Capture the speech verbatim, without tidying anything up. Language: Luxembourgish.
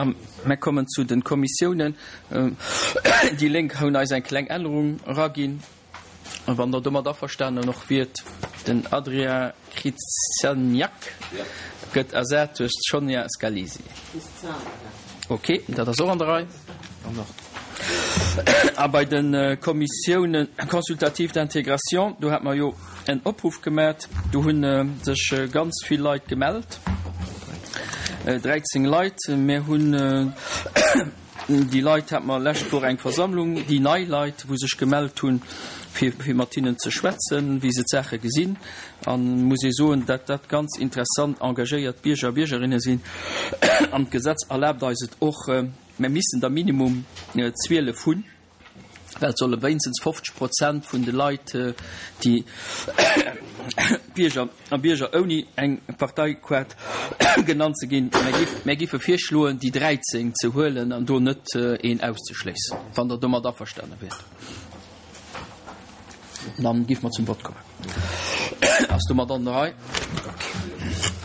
A mer kommen zu den Kommissiounen. Déi Lénk hunn eis eng kleng Ännerung eraginn. Wann Der domat averstanen och wiert, den Adrien Krzyzaniak gëtt ersat duerch d'Sonia Scalisi. Ok, dat ass och an der Rei. A bei de Kommissiounen consultatives d'intégration, do hat mer jo en Opruff gemat, do hu sech ganz vill Leit gemellt, dräizéng Leit. Mir hunn déi Leit, hat mer lescht Woch eng Versammlung, déi nei Leit, wou sech gemellt hunn, fir fir mat hinnen ze schwätzen, wéi se d'Saache gesinn. An muss ee soen, dat dat ganz interessant, engagéiert Bierger a Biergerinne sinn. An d'Gesetz erlaabt eis et och, mer missen der minimum zwielef hunn, well et solle wéinstens fofzeg Prozent vun de Leit, déi Bierger a Bierger ouni eng Parteikaart genannt ze ginn. Mär giffe virschloen, déi dräizéng ze huelen an do net een auszeschléissen, wann Der domat averstane wiert. Dann giffe mer zum Vott kommen. Ass domat an der Rei? Okay.